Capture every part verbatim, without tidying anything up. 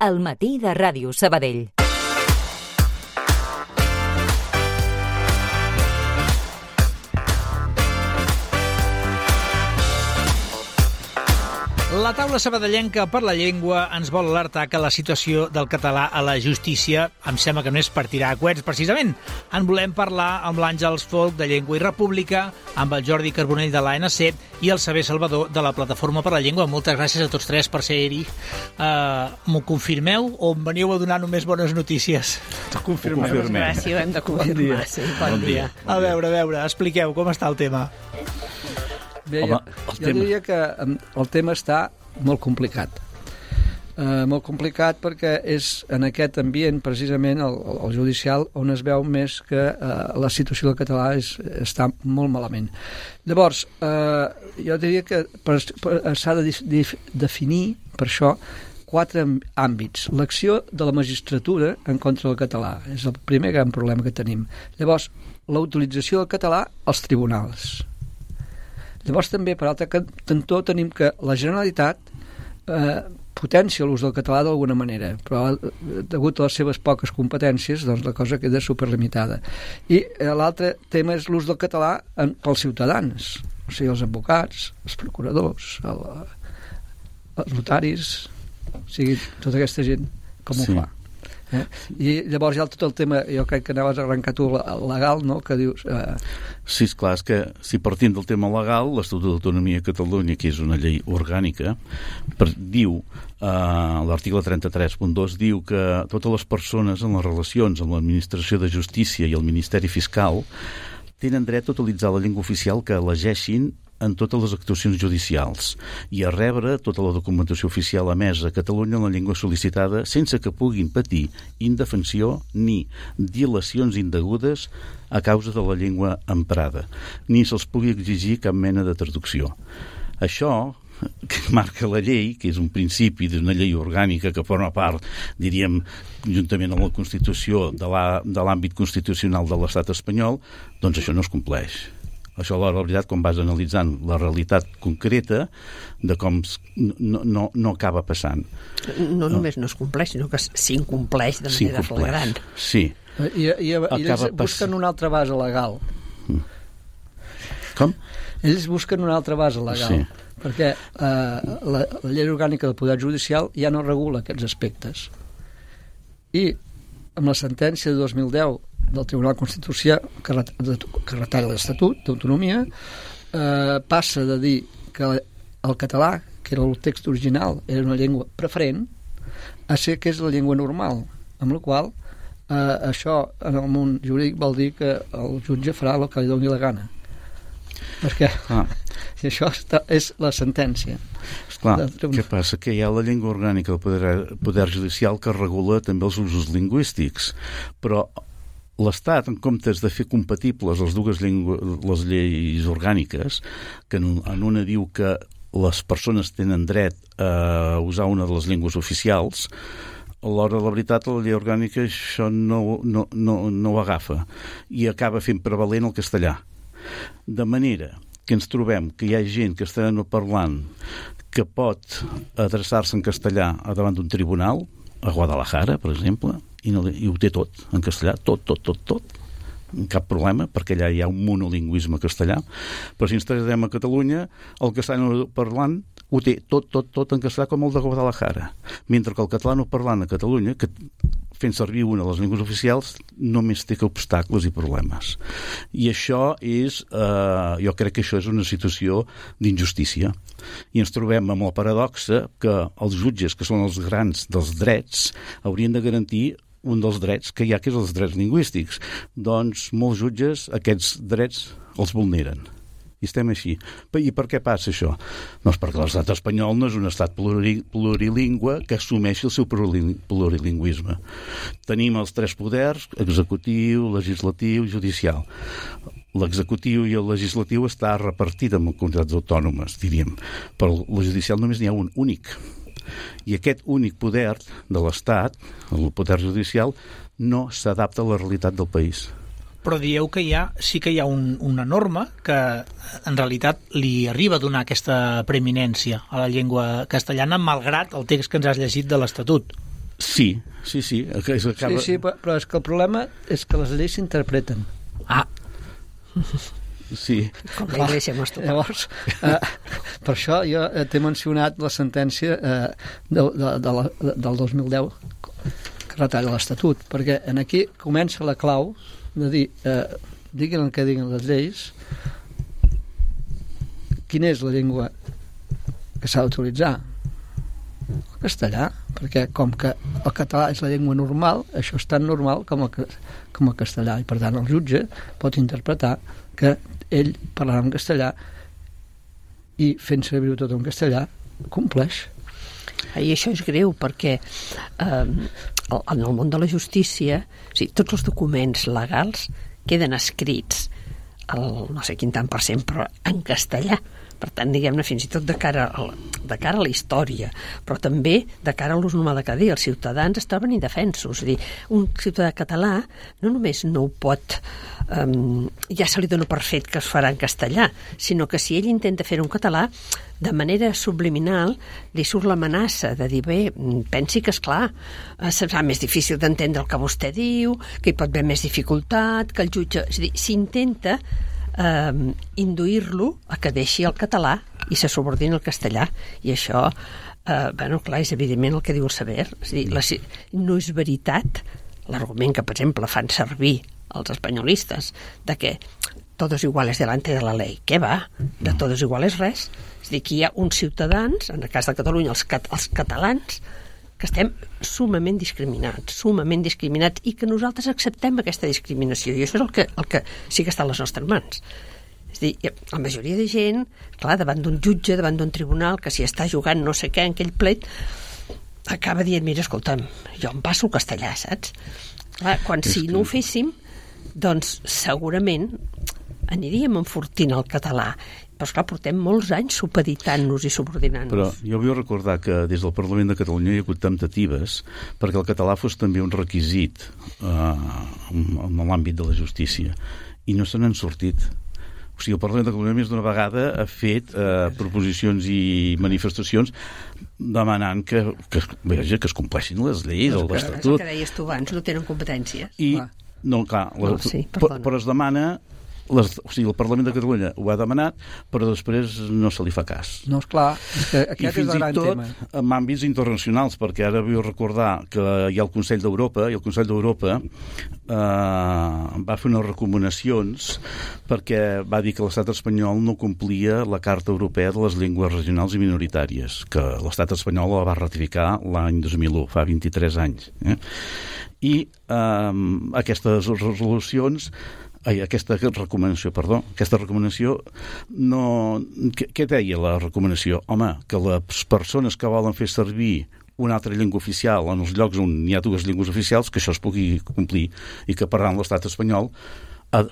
Al matí de Ràdio Sabadell. La taula sabadellenca per la llengua ens vol alertar que la situació del català a la justícia em sembla que no és per tirar a coets, precisament. En volem parlar amb l'Àngels Folk de Llengua i República, amb el Jordi Carbonell de l'A N C i el Xavier Salvador de la Plataforma per la Llengua. Moltes gràcies a tots tres per ser-hi. Uh, M'ho confirmeu o em veniu a donar només bones notícies? Ho confirmem. Gràcies, ho hem de confirmar. Bon dia. Sí, bon, bon dia. dia. A veure, a veure, expliqueu com està el tema. Bé, Home, jo, jo diria que el tema està molt complicat. Uh, molt complicat perquè és en aquest ambient, precisament, el, el judicial, on es veu més que uh, la situació del català és, està molt malament. Llavors, uh, jo diria que per, per, s'ha de dif, definir, per això, quatre àmbits. L'acció de la magistratura en contra del català és el primer gran problema que tenim. Llavors, la utilització del català als tribunals. Llavors també, per altre cantó, tenim que la Generalitat eh, potencia l'ús del català d'alguna manera, però degut a les seves poques competències, doncs la cosa queda superlimitada. I eh, l'altre tema és l'ús del català en, pels ciutadans, o sigui, els advocats, els procuradors, el, els notaris, o sigui, tota aquesta gent, com sí. ho fa. Eh? I llavors hi ha tot el tema, jo crec que anaves a arrencar tu legal, no?, que dius... Eh... Sí, esclar, és que si partim del tema legal, l'Estatut d'Autonomia de Catalunya, que és una llei orgànica, per, diu, eh, l'article trenta-tres punt dos, diu que totes les persones en les relacions amb l'administració de justícia i el Ministeri Fiscal tenen dret a utilitzar la llengua oficial que elegeixin en totes les actuacions judicials i a rebre tota la documentació oficial emesa a Catalunya en la llengua sol·licitada sense que puguin patir indefensió ni dilacions indegudes a causa de la llengua emprada, ni se'ls pugui exigir cap mena de traducció. Això que marca la llei, que és un principi d'una llei orgànica que forma part, diríem, juntament amb la Constitució de l'àmbit constitucional de l'Estat espanyol, doncs això no es compleix. Això, la veritat, quan vas analitzant la realitat concreta de com no, no, no acaba passant. No només no es compleix, sinó que s'incompleix de manera flagrant. Sí. I, i, i ells busquen una altra base legal. Com? Ells busquen una altra base legal. Sí. Perquè eh, la, la llei orgànica del Poder Judicial ja no regula aquests aspectes. I amb la sentència de dos mil deu del Tribunal Constitucional que, que retalla l'Estatut d'Autonomia, eh, passa de dir que el català, que era el text original, era una llengua preferent, a ser que és la llengua normal, amb la qual eh, això en el món jurídic vol dir que el jutge farà el que li doni la gana. Perquè ah. això està, és la sentència. Esclar, què passa? Que hi ha la llengua orgànica del poder, poder judicial que regula també els usos lingüístics, però l'Estat, en comptes de fer compatibles les dues llengües, les lleis orgàniques, que en una diu que les persones tenen dret a usar una de les llengües oficials, a l'hora de la veritat la llei orgànica això no, no, no, no ho agafa i acaba fent prevalent el castellà. De manera que ens trobem que hi ha gent que està no parlant que pot adreçar-se en castellà davant d'un tribunal, a Guadalajara, per exemple, i, no, i ho té tot en castellà, tot, tot, tot, tot. Cap problema, perquè allà hi ha un monolingüisme castellà. Però si ens traslladem a Catalunya, el castellano parlant ho té tot, tot, tot en castellà com el de Guadalajara. Mentre que el catalano parlant a Catalunya, que fent servir una de les llengües oficials, només té que obstacles i problemes. I això és, eh, jo crec que això és una situació d'injustícia. I ens trobem amb la paradoxa que els jutges, que són els grans dels drets, haurien de garantir un dels drets que hi ha, que és els drets lingüístics. Doncs molts jutges aquests drets els vulneren. I estem així. I per què passa això? Doncs perquè l'estat espanyol no és un estat plurilingüe que assumeixi el seu plurilingüisme. Tenim els tres poders, executiu, legislatiu i judicial. L'executiu i el legislatiu està repartit en comunitats autònomes, diríem. Però el judicial només n'hi ha un únic. I aquest únic poder de l'Estat, el poder judicial, no s'adapta a la realitat del país. Però dieu que hi ha, sí que hi ha un, una norma que en realitat li arriba a donar aquesta preeminència a la llengua castellana, malgrat el text que ens has llegit de l'Estatut. Sí, sí, sí. És acaba... Sí, sí, però és que el problema és que les lleis s'interpreten. Ah, sí. Com la Iglesia Mostra. Llavors, eh, per això jo t'he mencionat la sentència eh, de, de, de la, de, del dos mil deu que retalla l'Estatut, perquè en aquí comença la clau de dir, eh, diguin el que diguin les lleis, quina és la llengua que s'ha d'utilitzar? El castellà, perquè com que el català és la llengua normal, això és tan normal com el, com el castellà, i per tant el jutge pot interpretar que ell parlarà en castellà i fent servir tot en castellà compleix. I això és greu perquè eh, en el món de la justícia, o sigui, tots els documents legals queden escrits el no sé quin tant per cent, però en castellà. Per tant, diguem-ne, fins i tot de cara a la, de cara a la història, però també de cara a l'ús normal de cada dia. Els ciutadans es troben indefensos. És a dir, un ciutadà català no només no ho pot... Um, ja se li dona per fet que es farà en castellà, sinó que si ell intenta fer un català, de manera subliminal li surt l'amenaça de dir, bé, pensi que, esclar, serà més difícil d'entendre el que vostè diu, que hi pot haver més dificultat, que el jutge... És a dir, s'intenta eh, induir-lo a que deixi el català i se subordini al castellà, i això eh, bueno, clar, és evidentment el que diu el saber. És a dir, la, no és veritat l'argument que, per exemple, fan servir els espanyolistes de que todos iguales delante de la ley. Què va? De todos iguales res. És a dir, que hi ha uns ciutadans, en el cas de Catalunya, els, cat els catalans, que estem sumament discriminats, sumament discriminats, i que nosaltres acceptem aquesta discriminació, i això és el que, el que sí que està a les nostres mans. És a dir, la majoria de gent, clar, davant d'un jutge, davant d'un tribunal, que si està jugant no sé què en aquell plet, acaba dient, mira, escolta'm, jo em passo el castellà, saps? Clar, quan si no ho féssim, doncs segurament aniríem enfortint el català, però esclar, portem molts anys supeditant-nos i subordinant-nos. Però jo vull recordar que des del Parlament de Catalunya hi ha hagut temptatives perquè el català fos també un requisit eh, en l'àmbit de la justícia, i no se n'han sortit. O sigui, el Parlament de Catalunya més d'una vegada ha fet eh, proposicions i manifestacions demanant que, que, veja, que es compleixin les lleis, el l'Estatut. El que deies tu abans, no tenen competències. I, no, clar, la, no, sí, però, però es demana... Les, o sigui, el Parlament de Catalunya ho ha demanat, però després no se li fa cas. No, esclar, és que aquest és el gran tema. I fins i tot en àmbits internacionals, perquè ara vull recordar que hi ha el Consell d'Europa, i el Consell d'Europa eh, va fer unes recomanacions perquè va dir que l'estat espanyol no complia la Carta Europea de les Llengües Regionals i Minoritàries, que l'estat espanyol la va ratificar l'any dos mil u, fa vint-i-tres anys. Eh? I eh, aquestes resolucions Ai, aquesta recomanació, perdó, aquesta recomanació no... Què, què deia la recomanació? Home, que les persones que volen fer servir una altra llengua oficial en els llocs on hi ha dues llengües oficials, que això es pugui complir, i que per tant l'estat espanyol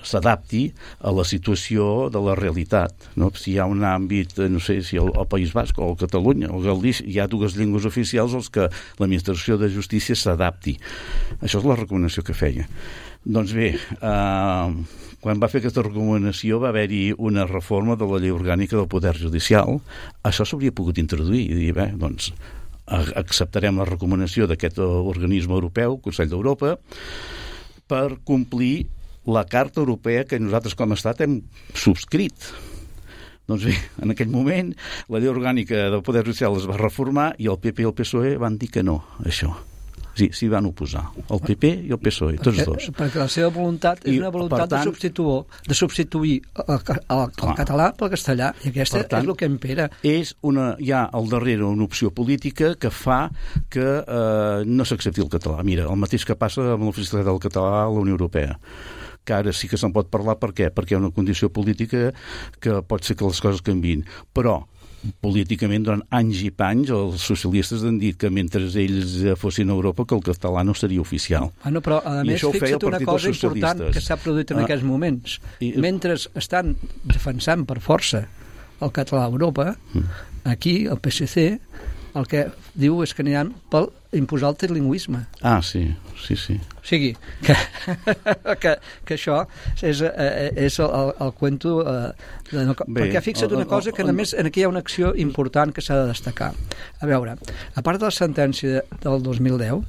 s'adapti a la situació de la realitat, no? Si hi ha un àmbit, no sé, si al, al País Basc o a Catalunya o a Galícia hi ha dues llengües oficials, els que l'administració de justícia s'adapti. Això és la recomanació que feia. Doncs bé, eh, quan va fer aquesta recomanació va haver-hi una reforma de la llei orgànica del Poder Judicial. Això s'hauria pogut introduir i dir, bé, doncs acceptarem la recomanació d'aquest organisme europeu, Consell d'Europa, per complir la Carta Europea que nosaltres com a Estat hem subscrit. Doncs bé, en aquell moment la llei orgànica del Poder Judicial es va reformar i el P P i el P S O E van dir que no, això. Sí, s'hi van oposar, el P P i el P S O E, tots perquè, dos. Perquè la seva voluntat és I, una voluntat tant, de, substituir, de substituir el, el, el, el català pel castellà, i aquesta tant, és el que impera. És una, hi ha al darrere una opció política que fa que eh, no s'accepti el català. Mira, el mateix que passa amb l'oficialitat del català a la Unió Europea, que ara sí que se'n pot parlar. Per què? Perquè hi ha una condició política que pot ser que les coses canviïn. Però políticament, durant anys i panys, els socialistes han dit que mentre ells fossin a Europa que el català no seria oficial. Ah, no, però a més, fixa't una cosa important que s'ha produït en ah, aquests moments. I, mentre estan defensant per força el català a Europa, aquí el P S C el que diu és que aniran per imposar el trilingüisme. Ah, sí, sí, sí. O sigui, que, que, que això és, és el, el, el cuento... Eh, de no, Bé, perquè fixa't una cosa, que només aquí hi ha una acció important que s'ha de destacar. A veure, a part de la sentència del dos mil deu,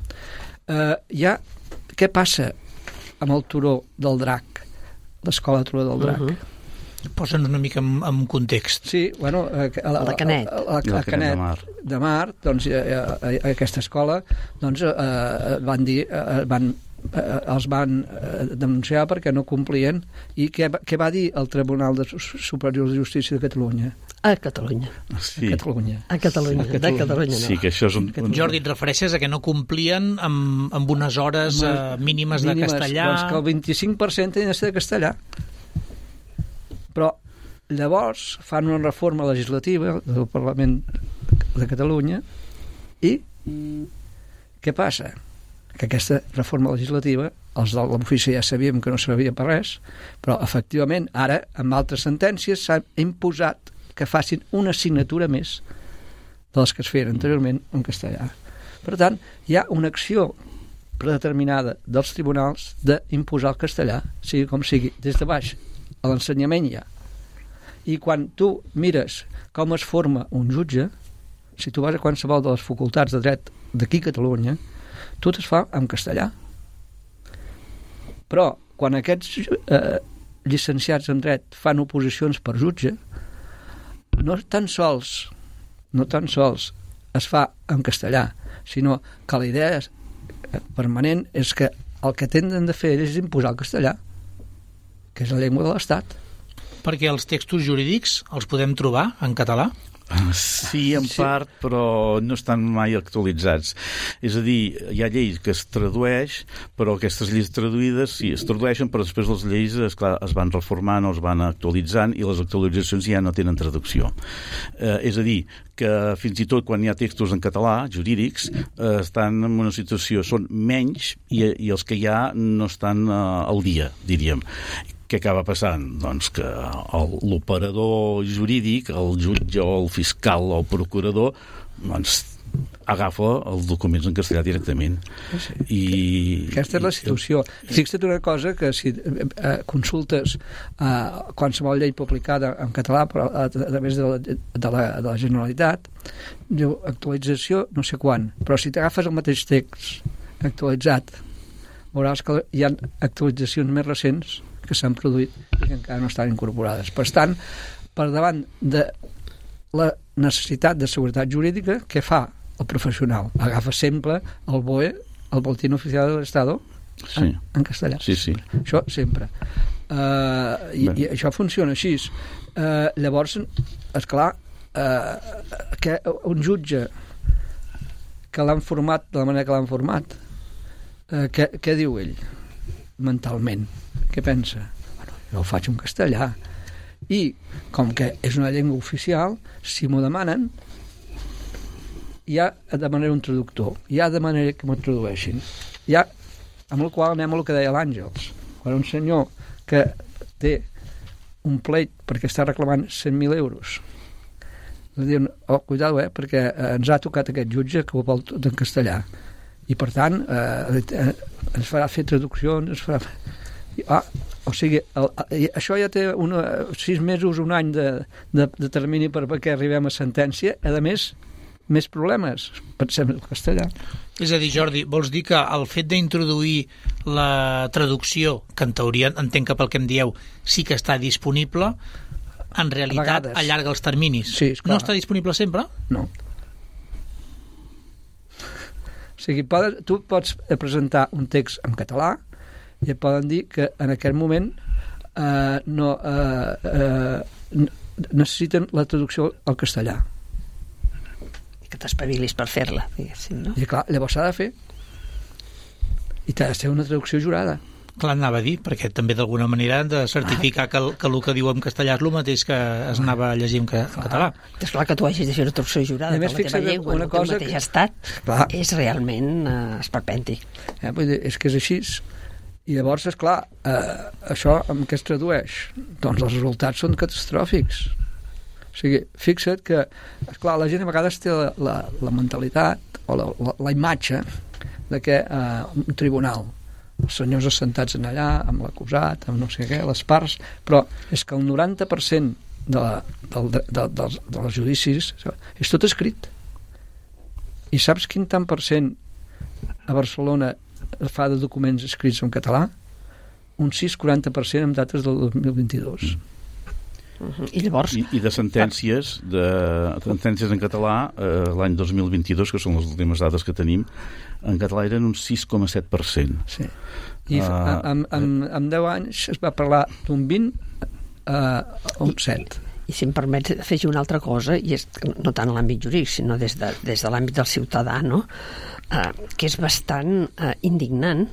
eh, hi ha... Què passa amb el turó del Drac, l'escola Turó del Drac? Uh-huh. Posen una mica en, en context. Sí, bueno... Eh, la, la Canet. La, la, la, la Canet de Mar. De Mar, doncs, eh, eh, aquesta escola, doncs, eh, van dir... Eh, van, eh, els van eh, denunciar perquè no complien. I què, què va dir el Tribunal de Superior de Justícia de Catalunya? A Catalunya. Sí. A Catalunya. A Catalunya, sí, de Catalunya, no. Sí, que això és un, un... Jordi, et refereixes a que no complien amb, amb unes hores eh, mínimes, mínimes de castellà? Doncs que el vint-i-cinc per cent tenen de ser de castellà. Però llavors fan una reforma legislativa del Parlament de Catalunya i què passa? Que aquesta reforma legislativa, els de l'ofici ja sabíem que no servia per res, però efectivament ara, amb altres sentències, s'ha imposat que facin una assignatura més de les que es feien anteriorment en castellà. Per tant, hi ha una acció predeterminada dels tribunals d'imposar el castellà, sigui com sigui, des de baix a l'ensenyament ja. I quan tu mires com es forma un jutge, si tu vas a qualsevol de les facultats de dret d'aquí a Catalunya, tot es fa en castellà. Però quan aquests eh, llicenciats en dret fan oposicions per jutge, no tan sols no tan sols es fa en castellà, sinó que la idea permanent és que el que tenen de fer és imposar el castellà, que és la llengua de l'Estat. Perquè els textos jurídics els podem trobar en català? Sí, en part, però no estan mai actualitzats. És a dir, hi ha lleis que es tradueix, però aquestes lleis traduïdes sí, es tradueixen, però després les lleis esclar, es van reformant o es van actualitzant i les actualitzacions ja no tenen traducció. Eh, és a dir, que fins i tot quan hi ha textos en català, jurídics, eh, estan en una situació, són menys i, i els que hi ha no estan eh, al dia, diríem. Què acaba passant? Doncs que l'operador jurídic, el jutge o el fiscal o el procurador, doncs agafa els documents en castellà directament. Sí. I, Aquesta és la situació. Fixa't una cosa, que si eh, consultes eh, qualsevol llei publicada en català però a, a través de la, de, la, de la Generalitat, diu actualització no sé quan, però si t'agafes el mateix text actualitzat, veuràs que hi ha actualitzacions més recents que s'han produït i que encara no estan incorporades. Per tant, per davant de la necessitat de seguretat jurídica, què fa el professional? Agafa sempre el B O E, el Boletín Oficial del Estado, sí. en, en castellà. Sí, sí. Això sempre. Uh, i, I això funciona així. Uh, llavors, esclar, uh, que un jutge que l'han format de la manera que l'han format, uh, què, què diu ell? Mentalment. Què pensa? Bueno, jo ho faig en castellà. I, com que és una llengua oficial, si m'ho demanen, ja demanaré un traductor. Ja demanaré que m'ho tradueixin. Ja, amb el qual anem al que deia l'Àngels. Quan un senyor que té un pleit perquè està reclamant cent mil euros, diuen, oh, cuidado, eh, perquè ens ha tocat aquest jutge que ho vol tot en castellà. I, per tant, eh, ens farà fer traduccions, ens farà... Ah, o sigui, el, el, això ja té una, sis mesos, un any de, de, de termini per perquè arribem a sentència. A més, més problemes. Pensem en el castellà. És a dir, Jordi, vols dir que el fet d'introduir la traducció, que en teoria entenc que pel que em dieu sí que està disponible, en realitat allarga els terminis? Sí, esclar. No està disponible sempre? No. O sigui, poden, tu pots presentar un text en català i et poden dir que en aquest moment eh, no eh, eh, necessiten la traducció al castellà. I que t'espavilis per fer-la, diguéssim, no? I clar, llavors s'ha de fer. I t'ha de ser una traducció jurada. Clar, anava a dir, perquè també d'alguna manera han de certificar ah. que, el, que el que diu en castellà és el mateix que es anava a llegir en, ca, en català. És clar que tu hagis de fer una traducció jurada per la teva llengua, en el teu mateix que... estat, clar. És realment eh, esperpèntic. Eh, vull dir, és que és així. I llavors, esclar, eh, això amb què es tradueix? Doncs els resultats són catastròfics. sigui, fixa't que, esclar, la gent a vegades té la, la, la mentalitat o la, la, la imatge de que eh, un tribunal, els senyors assentats en allà, amb l'acusat, amb no sé què, les parts, però és que el noranta per cent de, la, del, de, de, dels, dels judicis és tot escrit. I saps quin tant per cent a Barcelona fa de documents escrits en català? Un sis coma quaranta per cent amb dates del dos mil vint-i-dos. Uh-huh. I llavors... I, i de sentències, de sentències en català, eh, l'any dos mil vint-i-dos, que són les últimes dades que tenim, en català eren un sis coma set per cent. Sí. I uh, amb, amb, amb deu anys es va parlar d'un vint a un set. I si em permets afegir una altra cosa, i és no tant a l'àmbit jurídic, sinó des de, des de l'àmbit del ciutadà, no? eh, que és bastant eh, indignant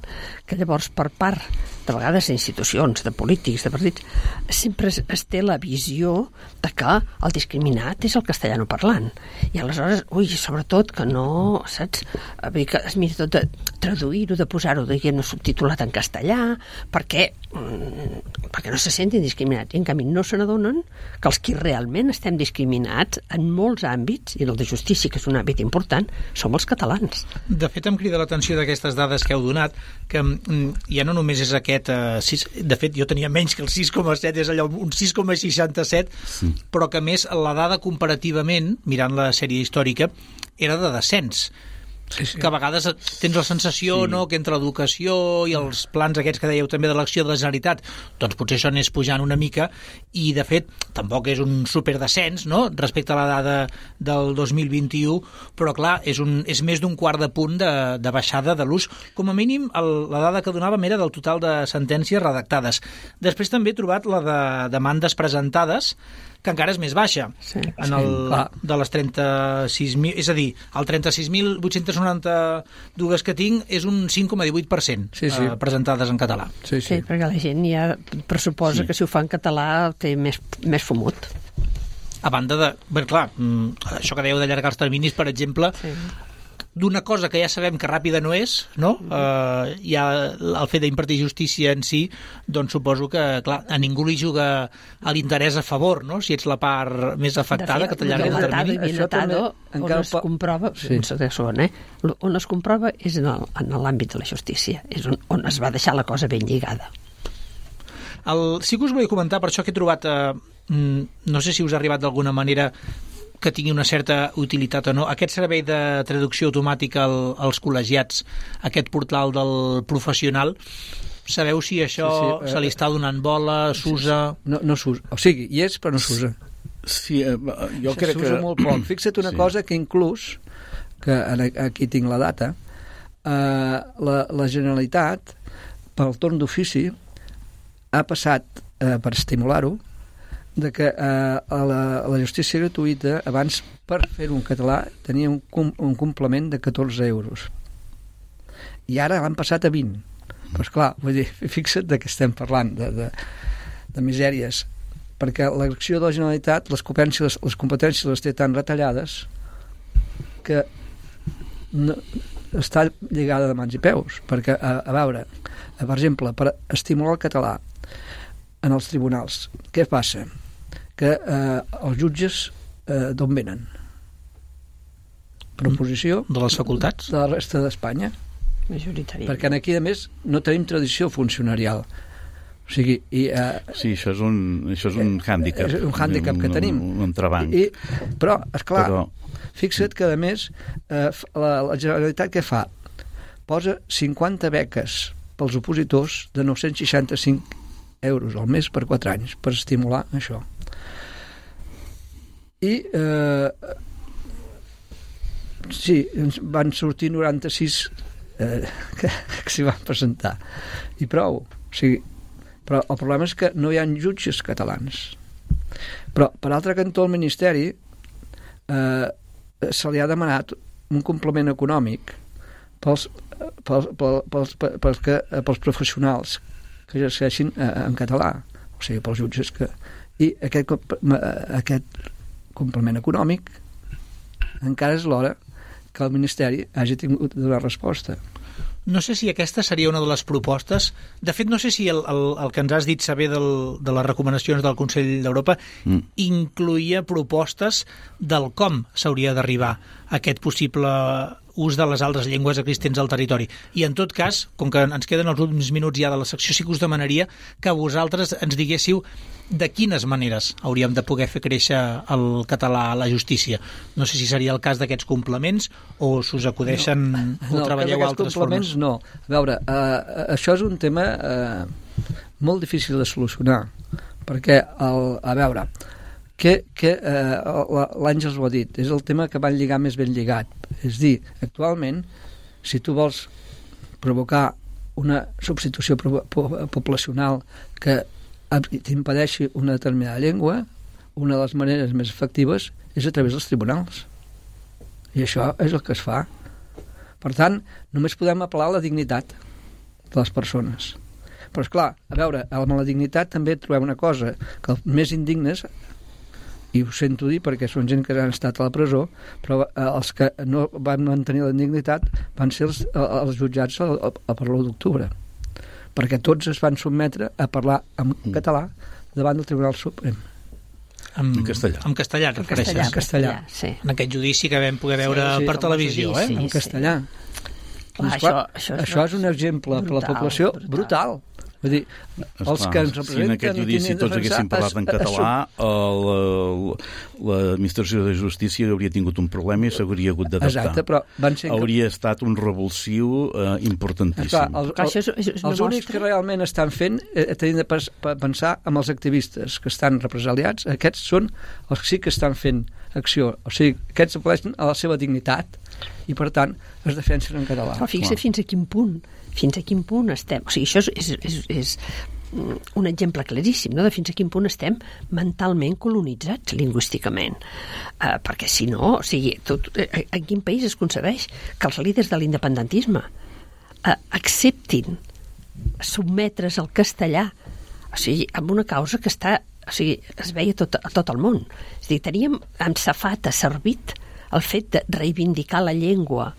que llavors per part de vegades d'institucions, de polítics, de partits, sempre es, es té la visió de que el discriminat és el castellano parlant. I aleshores, ui, sobretot que no, saps? Vull dir que es mira tot de traduir-ho, de posar-ho, diguem, subtitulat en castellà, perquè, mm, perquè no se sentin discriminats. I en canvi no se n'adonen que els qui realment estem discriminats en molts àmbits, i el de justícia, que és un àmbit important, som els catalans. De fet, em crida l'atenció d'aquestes dades que heu donat, que mm, ja no només és aquest Uh, sis, de fet jo tenia menys que el sis coma set, és allò un sis coma seixanta-set, sí. Però que més la dada comparativament, mirant la sèrie històrica, era de descens. Sí, sí. Que a vegades tens la sensació, sí. No, que entre l'educació i els plans aquests que dèieu també de l'acció de la Generalitat, doncs potser això anés pujant una mica, i de fet tampoc és un superdescens, no?, respecte a la dada del dos mil vint-i-u, però clar, és, un, és més d'un quart de punt de, de baixada de l'ús. Com a mínim, el, la dada que donàvem era del total de sentències redactades. Després també he trobat la de demandes presentades, que encara és més baixa, sí, en el, sí, de les trenta-sis mil, és a dir, el trenta-sis mil vuit-cents noranta-dos que tinc és un cinc coma divuit per cent sí, sí. Eh, presentades en català. Sí, sí. Sí, perquè la gent ja pressuposa sí. Que si ho fa en català té més, més fumut. A banda de... Bé, clar, això que dèieu d'allargar els terminis, per exemple, sí. D'una cosa que ja sabem que ràpida no és, no? Eh, ja el fet d'impartir justícia en si, doncs suposo que, clar, a ningú li juga a l'interès a favor, no? Si ets la part més afectada, fet, que t'allarga el termini. Això també, on es po... comprova, sí. Son, eh? On es comprova és en, el, en l'àmbit de la justícia, és on, on es va deixar la cosa ben lligada. El, sí que us volia comentar, per això que he trobat, eh, no sé si us ha arribat d'alguna manera que tingui una certa utilitat o no, aquest servei de traducció automàtica al, als col·legiats, aquest portal del professional, sabeu si això sí, sí, se li està donant bola, s'usa? No, no s'usa, o sigui, hi és però no s'usa. Sí, eh, jo sí, crec que... S'usa molt poc. Fixa't una sí. Cosa que inclús, que aquí tinc la data, eh, la, la Generalitat, pel torn d'ofici, ha passat, eh, per estimular-ho, de que eh, a, la, a la justícia gratuïta abans per fer-ho en català tenia un, un complement de catorze euros i ara l'han passat a vint. Però esclar, vull dir, fixa't de què estem parlant, de, de, de misèries, perquè l'acció de la Generalitat les competències, les competències les té tan retallades que no, està lligada de mans i peus, perquè a, a veure, a, per exemple, per estimular el català en els tribunals, què passa? Que eh, els jutges eh, d'on venen? Proposició de les facultats? De la resta d'Espanya. Majoritàriament. Perquè aquí, a més, no tenim tradició funcionarial. O sigui, i, eh, sí, això és un, això és un hàndicap. És un hàndicap que tenim. Un, un entrebanc. I, però, esclar, però... fixa't que, a més, eh, la, la Generalitat què fa? Posa cinquanta beques pels opositors de nou-cents seixanta-cinc euros al mes per quatre anys per estimular això. I eh, sí, ens van sortir noranta-sis eh, que, que s'hi van presentar i prou, o sigui, però el problema és que no hi ha jutges catalans. Però per altre cantó el Ministeri eh, se li ha demanat un complement econòmic pels, pels, pels, pels, pels, que, pels professionals que exerceixin eh, en català, o sigui, pels jutges que... I aquest, aquest complement econòmic encara és l'hora que el Ministeri hagi tingut de donar resposta. No sé si aquesta seria una de les propostes. De fet, no sé si el, el, el que ens has dit saber del, de les recomanacions del Consell d'Europa mm. incluïa propostes del com s'hauria d'arribar a aquest possible ús de les altres llengües existents al territori. I en tot cas, com que ens queden els últims minuts ja de la secció, sí que us demanaria que vosaltres ens diguéssiu de quines maneres hauríem de poder fer créixer el català a la justícia. No sé si seria el cas d'aquests complements o s'us acudeixen no. o no, treballeu altres formes. No, a veure, uh, això és un tema uh, molt difícil de solucionar, perquè, el, a veure, que, que uh, l'Àngels ho ha dit, és el tema que van lligar més ben lligat. És dir, actualment, si tu vols provocar una substitució poblacional que t'impedeixi una determinada llengua, una de les maneres més efectives és a través dels tribunals. I això és el que es fa. Per tant, només podem apel·lar a la dignitat de les persones. Però, esclar, a veure, amb la dignitat també trobem una cosa, que els més indignes, i ho sento dir perquè són gent que han estat a la presó, però els que no van mantenir la dignitat van ser els, els jutjats a, a, a per l'u d'octubre, perquè tots es van sotmetre a parlar en català davant del Tribunal Suprem. En, en castellà. En castellà, et refereixes? En castellà. Sí. En aquest judici que vam poder veure sí, sí, per televisió, eh? En castellà. Sí. Doncs, clar, això, això, això és un exemple brutal, per la població brutal. brutal. Vull dir, Esclar, els que ens representen... Si en aquest judici tots haguessin parlat en català, l'administració de justícia hauria tingut un problema i s'hauria hagut d'adaptar. Exacte, però van ser... Hauria estat un revulsiu eh, importantíssim. Clar, el, el, és, és els únics que realment estan fent, eh, tenint de pensar amb els activistes que estan represaliats, aquests són els que sí que estan fent acció. O sigui, aquests apel·leixen a la seva dignitat i, per tant, es defensen en català. Però fixa fins a quin punt fins a quin punt estem... O sigui, això és, és, és un exemple claríssim, no?, de fins a quin punt estem mentalment colonitzats lingüísticament. Uh, perquè, si no, o sigui, tot, en quin país es concebeix que els líders de l'independentisme uh, acceptin sotmetre's al castellà, o sigui, amb una causa que està... O sigui, es veia tot, a tot el món. És a dir, teníem amb safata servit el fet de reivindicar la llengua.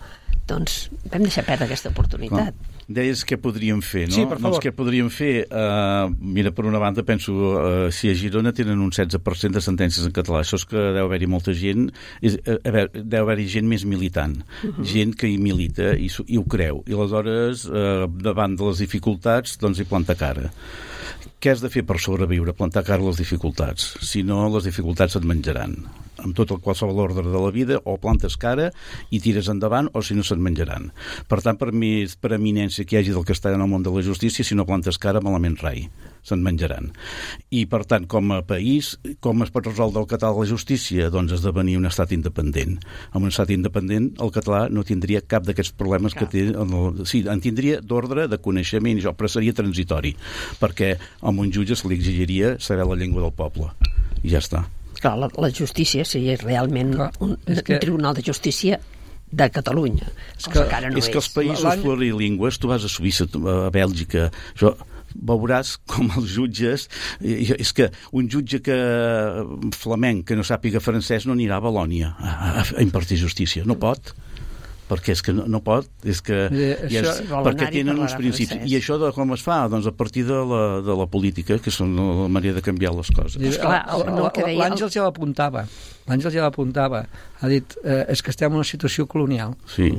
Doncs vam deixar perdre aquesta oportunitat. Clar. Deies què podríem fer, no? Sí, per favor. Doncs què podríem fer? Uh, mira, per una banda, penso, uh, si a Girona tenen un setze per cent de sentències en català, això és que deu haver-hi molta gent, és, a veure, deu haver-hi gent més militant, uh-huh. gent que hi milita i, i ho creu, i aleshores, uh, davant de les dificultats, doncs hi planta cara. Què has de fer per sobreviure? Plantar cara a les dificultats. Si no, les dificultats et menjaran. Amb tot el qualsevol ordre de la vida, o plantes cara i tires endavant, o si no se't menjaran. Per tant, per mi és per eminència que hi hagi del castellà en el món de la justícia, si no plantes cara, malament rai. Se'n menjaran. I, per tant, com a país, com es pot resoldre el català a la justícia? Doncs esdevenir un estat independent. Amb un estat independent, el català no tindria cap d'aquests problemes cap. que té... El, sí, en tindria d'ordre, de coneixement, però seria transitori, perquè a un jutge se li exigiria saber la llengua del poble. I ja està. Clar, la, la justícia seria realment Clar, un, un que... tribunal de justícia de Catalunya. És que, que, no és, és que els països plurilingües, tu vas a Suïssa, a Bèlgica, això, veuràs com els jutges... És que un jutge que flamenc que no sàpiga francès no anirà a Valònia a, a, a impartir justícia. No pot. Perquè és que no, no pot, és que eh, ja és, perquè tenen uns principis. Francès. I això de com es fa? Doncs a partir de la, de la política, que és la manera de canviar les coses. L'Àngel ja l'apuntava, l'Àngel ja l'apuntava, ha dit, eh, és que estem en una situació colonial. Sí.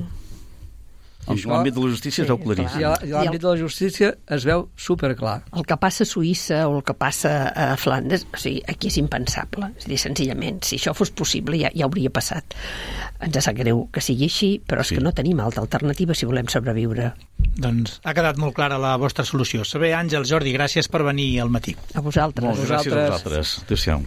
En l'àmbit de la justícia sí, es veu claríssim. I l'àmbit de la justícia es veu superclar. El que passa a Suïssa o el que passa a Flandes, o sigui, aquí és impensable. És a dir, senzillament, si això fos possible ja, ja hauria passat. Ens sap greu que sigui així, però és sí. que no tenim altra alternativa si volem sobreviure. Doncs ha quedat molt clara la vostra solució. Saber, Àngel, Jordi, gràcies per venir al matí. A vosaltres. Molt, gràcies a vosaltres. Adéu-siau.